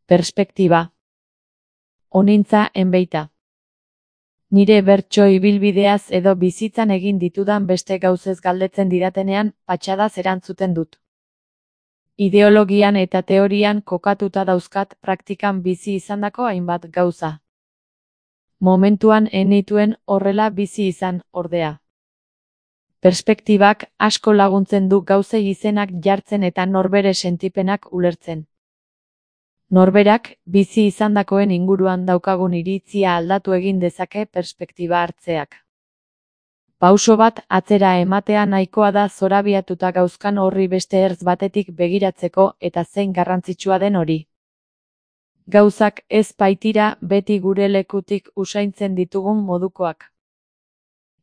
Perspektiba. Honintza enbeita. Nire bertso ibilbideaz edo bizitzan egin ditudan beste gauzez galdetzen didatenean, patxadaz erantzuten dut. Ideologian eta teorian kokatuta dauzkat praktikan bizi izandako hainbat gauza. Momentuan enituen horrela bizi izan, ordea. Perspektibak asko laguntzen du gauzei izenak jartzen eta norbere sentipenak ulertzen. Norberak, bizi izandakoen inguruan daukagun iritzia aldatu egin dezake perspektiba hartzeak. Pauso bat atzera ematea nahikoa da zorabiatuta gauzkan horri beste ertz batetik begiratzeko eta zein garrantzitsua den hori. Gauzak ez baitira beti gure lekutik usaintzen ditugun modukoak.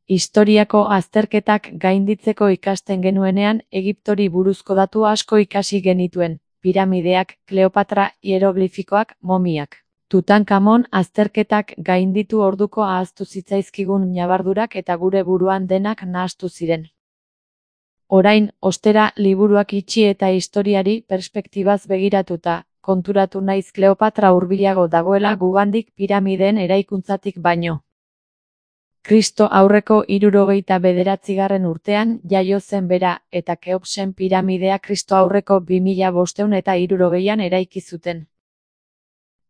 Historiako azterketak gainditzeko ikasten genuenean Egiptori buruzko datu asko ikasi genituen. Piramideak, Kleopatra, hieroglifikoak, momiak. Tutankamon azterketak gainditu orduko ahaztu zitzaizkigun ñabardurak eta gure buruan denak nahastu ziren. Orain, ostera, liburuak itxi eta historiari perspektibaz begiratuta, konturatu naiz Kleopatra hurbilago dagoela gugandik piramideen eraikuntzatik baino. Kristo aurreko 69. urtean jaio zen bera, eta Keopsen piramidea Kristo aurreko 2560an eraiki zuten.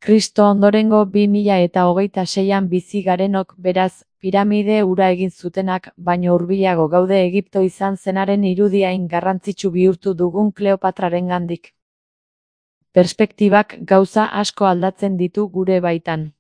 Kristo ondorengo 2026an bizi garenok beraz, piramide hura egin zutenak, baino hurbilago gaude Egipto izan zenaren irudiain garrantzitsu bihurtu dugun Kleopatrarengandik. Perspektibak gauza asko aldatzen ditu gure baitan.